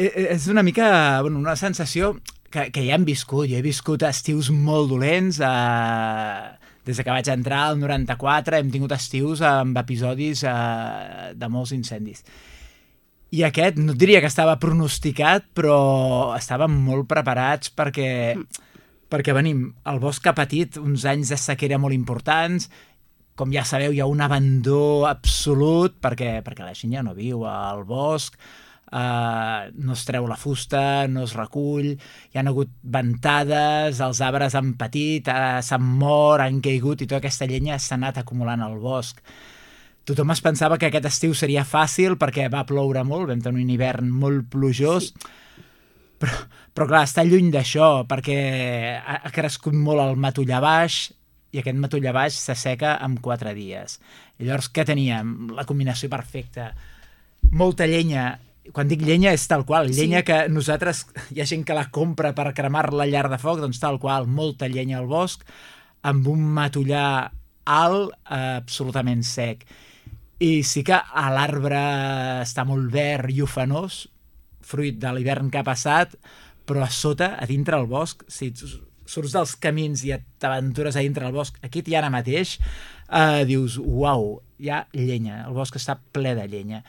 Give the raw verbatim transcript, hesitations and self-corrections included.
és una mica, bueno, una sensació que, que ja hem viscut. Jo he viscut estius molt dolents, eh, des que vaig entrar al noranta-quatre hem tingut estius amb episodis eh, de molts incendis. I aquest, no et diria que estava pronosticat, però estàvem molt preparats perquè, perquè venim, el bosc ha patit uns anys de sequera molt importants, com ja sabeu, hi ha un abandó absolut perquè, perquè la gent ja no viu al bosc, Uh, no es treu la fusta, no es recull, hi ha hagut ventades, els arbres han patit, uh, s'han mort, han caigut i tota aquesta llenya s'ha anat acumulant al bosc. Tothom es pensava que aquest estiu seria fàcil perquè va ploure molt, vam tenir un hivern molt plujós, sí. però, però clar, està lluny d'això perquè ha, ha crescut molt el matollar baix i aquest matollar baix s'asseca en quatre dies. I llavors què teníem? La combinació perfecta. Molta llenya. Quan dic llenya és tal qual, llenya sí. que nosaltres, hi ha gent que la compra per cremar-la a llar de foc, doncs tal qual, molta llenya al bosc, amb un matollar alt, eh, absolutament sec. I sí que a l'arbre està molt verd i ufanós, fruit de l'hivern que ha passat, però a sota, a dintre del bosc, si surts dels camins i t'aventures a dintre del bosc, aquí i ara mateix, eh, dius, uau, hi ha llenya, el bosc està ple de llenya.